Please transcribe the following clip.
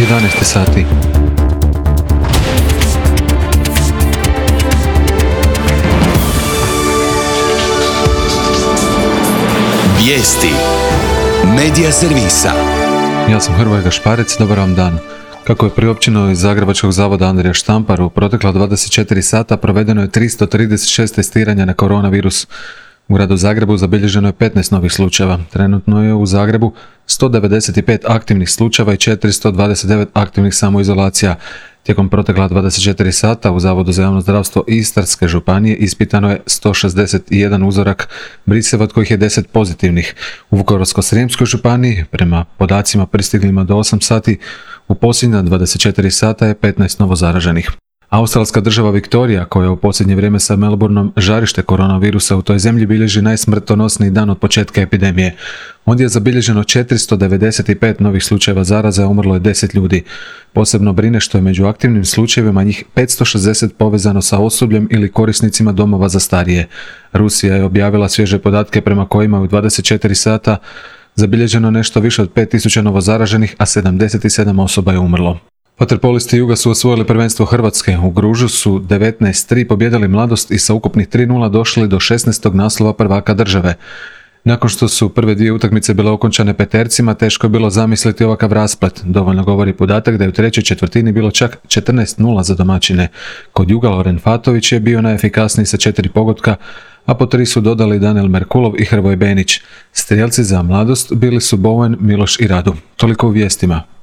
11 sati. Vijesti Medija servisa. Ja sam Hrvoje Gašparec, dobar vam dan. Kako je priopćeno iz Zagrebačkog zavoda Andrija Štampar, u protekla 24 sata provedeno je 336 testiranja na koronavirus. U gradu Zagrebu zabilježeno je 15 novih slučajeva. Trenutno je u Zagrebu 195 aktivnih slučajeva i 429 aktivnih samoizolacija. Tijekom protekla 24 sata u Zavodu za javno zdravstvo Istarske županije ispitano je 161 uzorak briseva, od kojih je 10 pozitivnih. U Vukovarsko-srijemskoj županiji, prema podacima pristiglima do 8 sati, u posljednja 24 sata je 15 novozaraženih. Australska država Viktorija, koja u posljednje vrijeme sa Melbourneom žarište koronavirusa u toj zemlji, bilježi najsmrtonosniji dan od početka epidemije. Ondje je zabilježeno 495 novih slučajeva zaraze, a umrlo je 10 ljudi. Posebno brine što je među aktivnim slučajevima njih 560 povezano sa osobljem ili korisnicima domova za starije. Rusija je objavila svježe podatke prema kojima u 24 sata zabilježeno nešto više od 5000 novozaraženih, a 77 osoba je umrlo. Vaterpolisti Juga su osvojili prvenstvo Hrvatske. U Gružu su 19-3 pobijedili Mladost i sa ukupnih 3:0 došli do 16. naslova prvaka države. Nakon što su prve dvije utakmice bile okončane petercima, teško je bilo zamisliti ovakav rasplet. Dovoljno govori podatak da je u trećoj četvrtini bilo čak 14:0 za domaćine. Kod Juga Loren Fatović je bio najefikasniji sa 4 pogotka, a po 3 su dodali Danijel Merkulov i Hrvoje Benić. Strijelci za Mladost bili su Bowen, Miloš i Radu. Toliko u vijestima.